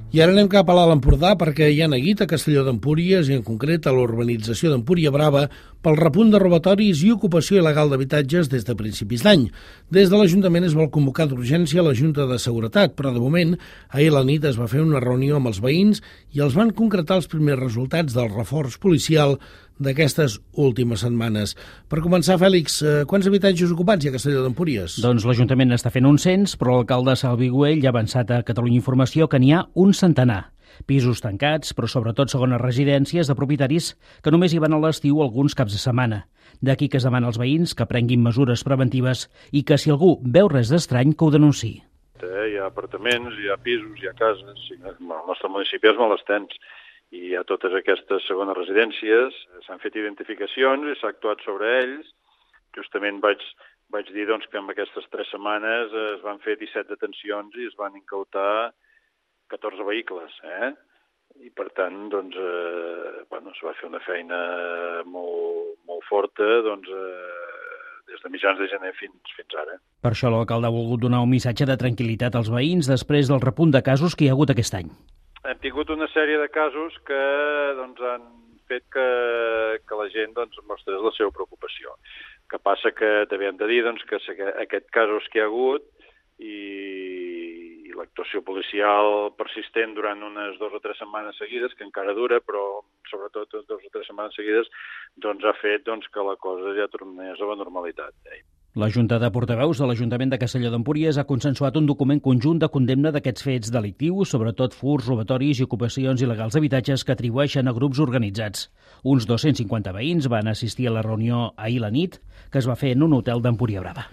I ara anem cap a l'Alt Empordà perquè hi ha neguit a Castelló d'Empúries i en concret a l'urbanització d'Empúria Brava pel repunt de robatoris i ocupació il·legal d'habitatges des de principis d'any. Des de l'Ajuntament es vol convocar d'urgència la Junta de Seguretat, però de moment ahir a la nit es va fer una reunió amb els veïns i els van concretar els primers resultats del reforç policial d'aquestes últimes setmanes. Per començar, Fèlix, quants habitatges ocupats hi ha a Castelló d'Empúries? Doncs l'Ajuntament està fent un cens, però l'alcalde Salvi Güell ja ha avançat a Catalunya Informació que n'hi ha un centenar. Pisos tancats, però sobretot segones residències de propietaris que només hi van a l'estiu alguns caps de setmana. D'aquí que es demana als veïns que prenguin mesures preventives i que si algú veu res d'estrany que ho denunciï. Hi ha apartaments, hi ha pisos, hi ha cases, el nostre municipi és molt extens. I a totes aquestes segones residències s'han fet identificacions i s'ha actuat sobre ells. Justament vaig dir doncs, que en aquestes 3 setmanes es van fer 17 detencions i es van incautar 14 vehicles. I per tant doncs, es va fer una feina molt forta des de mitjans de gener fins ara. Per això l'alcalde ha volgut donar un missatge de tranquil·litat als veïns després del repunt de casos que hi ha hagut aquest any. Hem tingut una sèrie de casos que han fet que la gent mostrés la seva preocupació. Que passa que també hem de dir que aquests casos que hi ha hagut i l'actuació policial persistent durant unes 2 o 3 setmanes seguides, que encara dura, però sobretot 2 o 3 setmanes seguides, ha fet que la cosa ja tornés a la normalitat. La Junta de Portaveus de l'Ajuntament de Castelló d'Empúries ha consensuat un document conjunt de condemna d'aquests fets delictius, sobretot furts, robatoris i ocupacions il·legals d'habitatges que atribueixen a grups organitzats. Uns 250 veïns van assistir a la reunió ahir a la nit, que es va fer en un hotel d'Empúria Brava.